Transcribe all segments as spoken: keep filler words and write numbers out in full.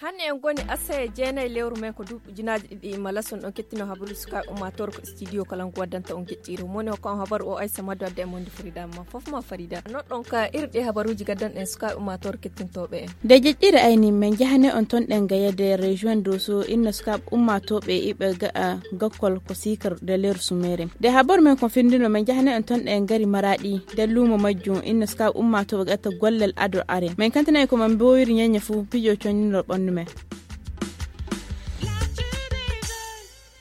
Hannde en ngoni asaya jeenayi lewru men ko duuɓi ujunaaji ɗiɗi e malason ɗon kettino habaruuji sukaaɓe ummaatoore ko studio kala ngu waddanta on geɗɗiiro moni hokka on habaru o aysa maddu adda e monde farida ma fof ma farida noɗɗon ka irɗe habaruuji gaddanɗen sukaaɓe ummaatoore kettintooɓe en. Nde jeɗɗiire ayni men njahane on ton ɗen gayede région doso inna sukaaɓe ummaatooɓe iɓe ga'a gakkol ko sikar de leer sumere nde habar men kon firndino men njahane on ton ɗen gari maraɗi de luumo majjum inna sukaaɓe ummaatooɓe gatta gollal ado are men kantana e ko man mbowiri ñeñña fuu pijo connino ɓandu men.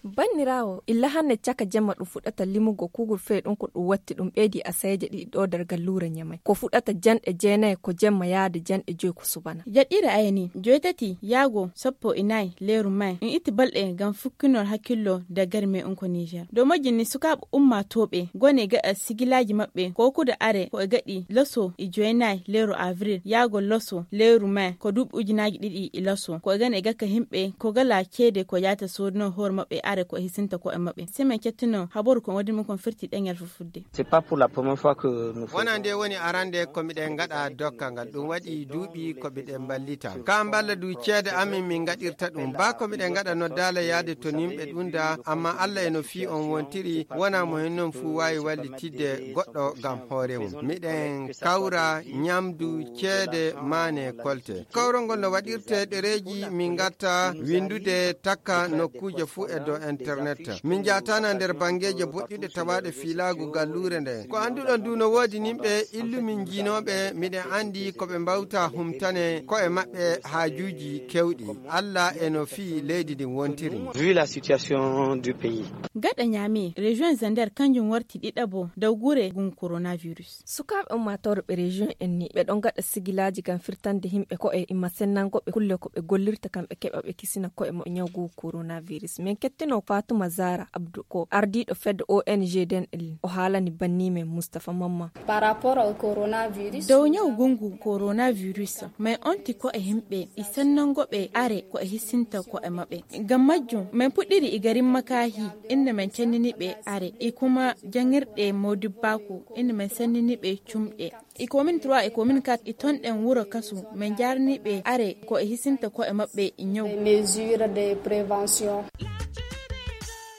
Banniraawo illa hannde caka jemma ɗum fuɗɗata limugo kuugal fee ɗum ko ɗum watti ɗum ɓeydi asayeeje ɗiɗi ɗo nder galluure ñamay ko fuɗɗata janɗe jeenayi ko jemma yaade janɗe joyi ko subana. Jaɗɗiire ayni joytati yaago sappo e nayi leeru may en itti balɗe ngam fukkinol hakkillo daggari men unko niger dow majjum ni sukaaɓe ummaatooɓe gone gaɗa sigilaaji maɓɓe ko kuda are ko e gaɗi laso e joynayi leeru avril yaago laso leeru mai ko duuɓi ujunaaji ɗiɗi e laso ko e gane e gakka himɓe ko gala ceede ko yaata soodino hoore maɓɓe are ko e hisinta ko e maɓɓe semaine cettino habaru ko wadi mum kon firti ɗeŋel fufudde. C'est pas pour la première fois que nous faisons. Wona nde woni arande ko miɗen gaɗa dokkal ngal ɗum waɗi duuɓi ko miɗen mballita ka mballa du ceede amin min gaɗirta ɗum ba ko miɗen gaɗa noddaala yaade to nimɓe ɗum da amma allah e no fii on wontiri wona mo hen noon fuu waawi wallitidde goɗɗo ngam hoore mum miɗen kawra ñamdu ceede maane kolte kawrol ngol no waɗirte ɗereeji min gatta winndude takka nokkuuje fuu e dow internet min njaatana nder banngeeje boɗɗuɗe tawaaɗe fiilaagu galluure nde ko annduɗon du no woodi nimɓe illumin jiinooɓe miɗen anndi ko ɓe mbawta humtane ko'e maɓɓe haajuuji kewɗi allah e no fii leydi ndin wontiri. Vu la situation du pays. Gaɗa ñaami région zander kanjum warti ɗiɗaɓo dow gure gun coronavirus. Sukaaɓe ummaatoore ɓe région en ni ɓe ɗon gaɗa sigilaaji ngam firtande yimɓe ko'e imma sennango ɓe kulle ko ɓe gollirta kam ɓe keɓa ɓe kisina ko'e maɓɓe ñawgu coronavirus min kettino fatuma zara abdou ko ardiiɗo fedde ong den ɗin o haalani banni men moustapha mamma. Par rapport au coronavirus dow ñaw gungu coronavirus may onti ko'e yimɓe e sennango ɓe are ko e hissinta ko'e maɓɓe ngam majjum min puɗɗiri e garin makahi inda min cennini ɓe are e kuma jangirɗe modibbaaku inda min sennini ɓe cumɗe e commune trois e commune quatre e ton ɗen wuro kasu min jarni ɓe are ko e hisinta ko'e maɓɓe e ñaw. Mesure de prévention.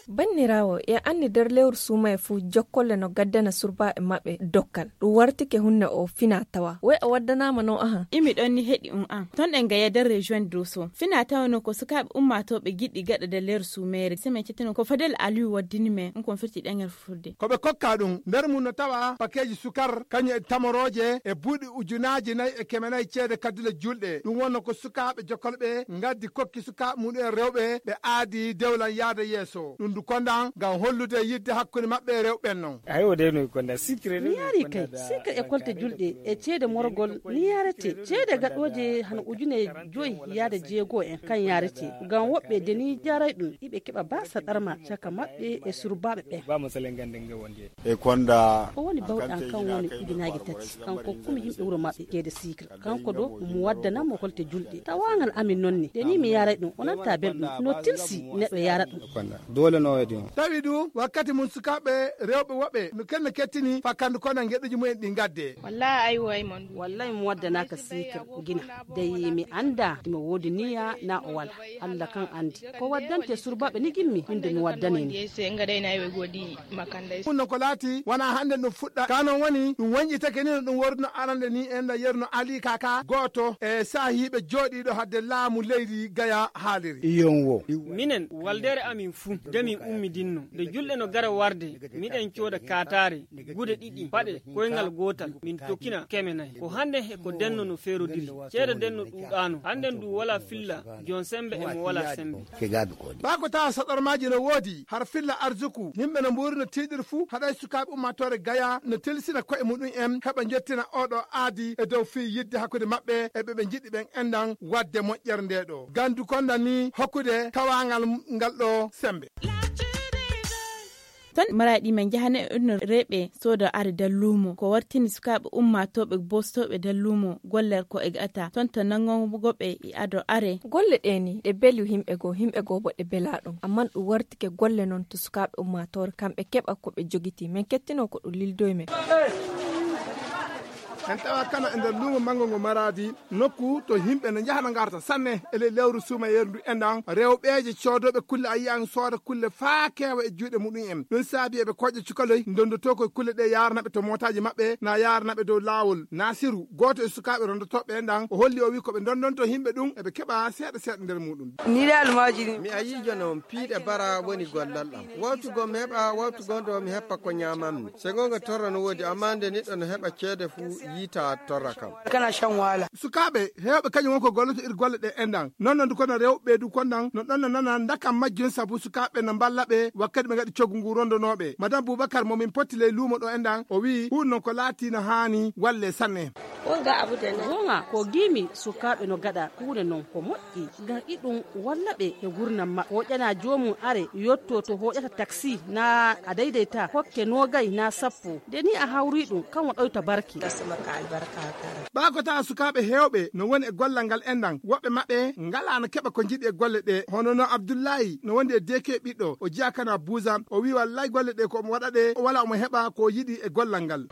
Banniraawo e anni nder lewru suumaye fuu jokkolle no gaddana surbaaɓe maɓɓe dokkal ɗum wartike hunne o fina tawa woy a waddanaama no ahan. Imi ɗon ni heɗi um an ton ɗen gaya nder région doso fina tawa no ko sukaaɓe ummaatooɓe giɗɗi gaɗa nder lewru suumeere semaine cettino ko fadel aliou waddini men ɗum kon firti ɗeŋel fufurde. Ko ɓe kokka ɗum nder mum no tawa pakeeji sukar kañum e tamorooje e buuɗi ujunaaji nayi e keme nayi ceede kaddule julɗe ɗum wonno ko sukaaɓe jokolɓe ngaddi kokki sukaaɓe muɗum en rewɓe ɓe aadi dewlan yaada yeeso ɗum du kondan ngam hollude yidde hakkunde maɓɓe e rewɓe ɓen non. Ayo de no konda sikre mi yaari kay sikre e kolte julɗe e ceede morgol ni yarete ceede gaɗooje hano ujune joyi yaada jeego en kan yarete ngam woɓɓe deni jaray ɗum iɓe keɓa basa ɗarma caka maɓɓe e surbaaɓe ɓen. E konda ko woni bawɗan kan woni ujunaaji tati kanko kumi yimɓe wuro maɓɓe keede sikre kanko ɗo mo waddananmo kolte julɗe tawangal amin noon ni nde ni mi yaray ɗum o nanta belɗum no tilsi neɗɗo yara ɗum. Doole no waɗi on tawi ɗum wakkati mum sukaaɓe rewɓe woɓɓe no kenno kettini fakkandu kono geɗuji mumen ɗi gadde. Wallahi aywa ay mon wallay mi waddanaka sikir gina dey mi anda imo woodi niya na o wala allah kan andi ko waddante surbaɓe ni gimmi min de mi waddani ni. Ɗum no ko laati wona hannde ɗum fuɗɗa ka noon woni ɗum woñƴitake ni no ɗum worduno arande ni en no yerno ali kaka gooto e saahiiɓe jooɗiiɗo hadde laamu leydi gaya haaliri. Iyon wo. Minen waldere amin fuu nde min ummidinno nde julɗe no gara warde miɗen cooda kaataare gude ɗiɗi paɗe koyngal gootal min tokkina keme nayi ko hannde he ko denno no feerodiri ceede denno ɗuuɗaano hannden du wala filla joon semmbe e mo wala semmbe. Baa ko tawa saɗormaaji no woodi har filla arsuku yimɓe no mbuuri no tiiɗiri fuu haɗay sukaaɓe ummaatoore gaya no tilsina koye muɗum en heɓa njottina oɗo aadi e dow fii yidde hakkunde maɓɓe e ɓe ɓe njiɗi ɓen enɗan waɗde moƴƴere nde ɗo gandu konda ni hokkude tawaangal ngal ɗo semmbe. Toon maraɗi men njahane, ɗum no reeɓe soodo are nder luumo ko wartini sukaaɓe ummaatooɓe boostooɓe nder luumo goller ko e gata toon to nanngongo ɓe e ado are. Golle ɗe ni ɗe beli yimɓe goo yimɓe goo bo ɗe bela ɗum amman ɗum wartike golle noon to sukaaɓe ummaatoore kamɓe keɓa ko ɓe jogiti men kettino ko ɗum lildoy men. En tawa kana e nder luumo manngo ngo maraadi nokku to yimɓe no njahana ngarta sanne e ley lewru suumayeeru ndu enɗan rewɓeeje coodooɓe kulle a yiyan sooda kulle faa keewa e juuɗe muɗum en ɗum saabi eɓe koƴƴa cukaloy ndonndotoo koye kulle ɗe yaaranaɓe to mootaaji maɓɓe na yaaranaɓe dow laawol naasiru gooto e sukaaɓe ronndotooɓe enɗan o holli o wi ko ɓe ndonndonto yimɓe ɗum eɓe keɓa seeɗa seeɗa nder muɗum. Mi a yiijo noon piiɗe bara woni gollal am wawtu goo mi heɓa wawtu goo ndo mi heppa ko ñaamanmi. Sey goonga torra no woodi amma nde neɗɗo no heɓa ceede fuu yiita torra kam. Sukaaɓe heewɓe kañum won ko golloto ir golle ɗe enɗan noon noon du kono rewɓe du konɗan no ɗon no nana ndakam majjum sabu sukaaɓe no mballa ɓe wakkati ɓe ngaɗi coggu ngu rondonooɓe madame boubakar mo min potti ley luumo ɗo enɗan o wiyi huun noon ko laati no haani walle sanne. Goonga ko giimi sukaaɓe no gaɗa huunde noon ko moƴƴi ngam iɗum walla ɓe he nguurndam maɓɓe hooƴana joomum are yotto to hooƴata taksi naa a daydayta hokke noogay naa sappo nde nii a hawrii ɗum kam o ɗoyta barke. Ɓaa ko tawa sukaaɓe heewɓe no woni e gollal ngal enɗan woɓɓe maɓɓe ngalaa no keɓa ko njiɗi e golle ɗe hono no abdullahi no wondi e deeke ɓiɗɗo o jeyaa kana buusa o wii wallay golle ɗe ko omo waɗa ɗe o walaa omo heɓa ko o yiɗi e gollal ngal.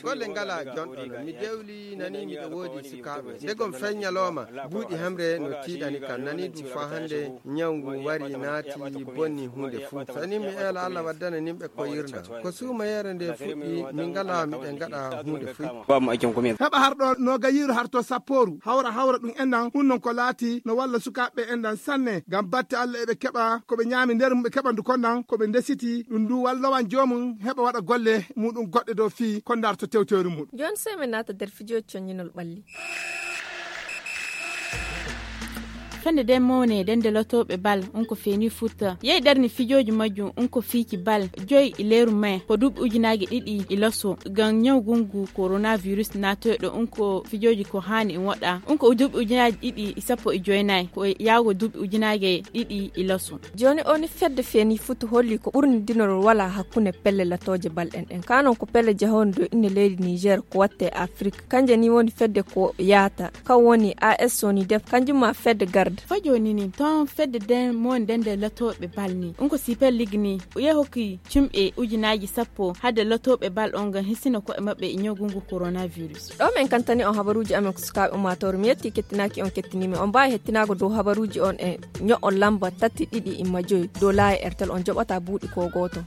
Golle ngalaa jonɗo no mi dewli nani miɗo woodi sukaaɓe ndegom feññalooma buuɗi hemre no tiiɗani kam nani ɗum faa hannde ñaw ngu wari naati bonni huunde fuu sani mi eela allah waddana nimɓe ko yirna ko suumayeere nde fuɗɗi min ngalaa miɗen ngaɗa huunde fuu. Heɓa harɗo no gayiiru harto sappooru hawra hawra ɗum enɗan ɗum noon ko laati no walla sukaaɓe enɗan sanne ngam batte allah eɓe keɓa ko ɓe ñaami nder mum ɓe keɓa ndu konɗan ko ɓe ndesiti ɗum ndu wallowan joomum heɓa waɗa golle muɗum goɗɗe dow fii ko ndarto tewteeru muɗum. Jooni sey min naata nder fijooji coññinol ɓalli. Fende nden mawne nden nde lotooɓe bal on ko feeni fuuta yehi ɗerni fijooji majjum on ko fiiki bal joyi e leeru mai ko duuɓi ujunaaji ɗiɗi e loso ngam ñaw gungu coronavirus naatoyɗo on ko fijooji ko haani en waɗa on ko duuɓi ujunaaji ɗiɗi e sappo e joynayi ko yaago duuɓi ujunaaji ɗiɗi e loso. Jooni o ni fedde feeni fuuta holli ko ɓurni dinorol wala hakkunde pelle latooje bal ɗen ɗen kanon ko pelle jahonde dow inde leydi niger ko watte afrik kanje ni woni fedde ko yaata kan woni as woni def kanjum ma fedde garde. Fa jooni ni ton fedde den mo nden nde latooɓe bal ni on ko sipel lig ni yehi hokki cumɓe ujunaaji sappo hadde latooɓe bal on ngam hisina ko'e maɓɓe e ñawgungu coronavirus. Ɗo min kantani on habaruuji amen ko sukaaɓe ummaatoore mi yetti kettinaaki on kettiniimi on mbaawi hettinaago dow habaruuji on e ño'on lamba tati ɗiɗi imma joyi dow laayi airtel on joɓata buuɗi ko gooto.